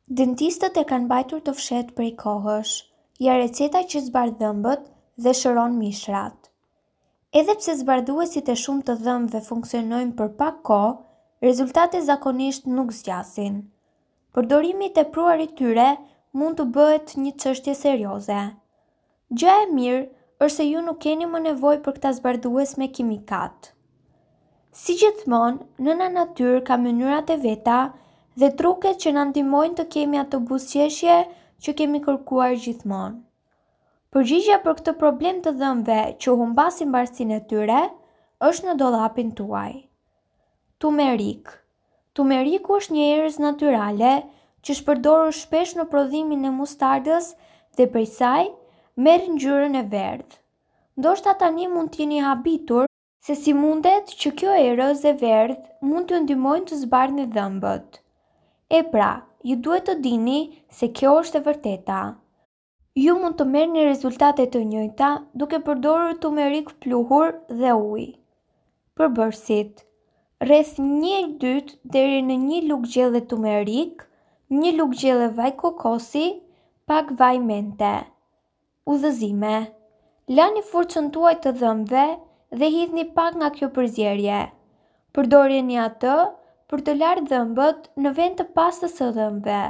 Dentistët e kanë mbajtur të fshehtë prej kohësh, ja receta që zbardh dhëmbët dhe shëron mishrat. Edhe pse zbardhuesit e shumtë të dhëmbëve funksionojnë për pak kohë, rezultatet zakonisht nuk zgjasin. Përdorimi i tepruar i tyre mund të bëhet një çështje serioze. Gjëja e mirë është se ju nuk keni më nevojë për këta zbardhues me kimikat. Si gjithmonë, nëna natyrë ka mënyrat e veta dhe truket që na ndihmojnë të kemi atë buzëqeshje që kemi kërkuar gjithmonë. Përgjigja për këtë problem të dhëmbëve që humbasin bardhësinë e tyre është në dollapin tuaj. Tumerik. Tumeriku është një erëz natyrale që është përdorur shpesh në prodhimin e mustardës dhe prej saj merr ngjyrën e verdhë. Ndoshta tani mund të jeni habitur se si mundet që kjo erëz e verdhë mund t'ju ndihmojë të zbardhni dhëmbët. E pra, ju duhet të dini se kjo është e vërteta. Ju mund të merrni rezultate të njëjta duke përdorur tumerik pluhur dhe ujë. Përbërësit: Rreth 1/2 deri në një lugë gjelle tumerik, një lugë gjelle vaj kokosi, pak vaj mente. Udhëzime, Lani furçën tuaj të dhëmbëve dhe hidhni pak nga kjo përzierje. Përdoreni atë për të larë dhëmbët në vend të pastës së dhëmbëve.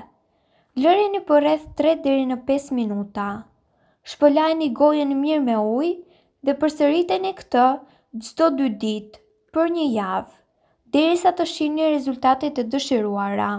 Lëreni për rreth 3 deri në 5 minuta. Shpëlajeni gojën mirë me ujë dhe përsëriteni këtë çdo 2 ditë për një javë, derisa të shihni rezultatet e dëshiruara.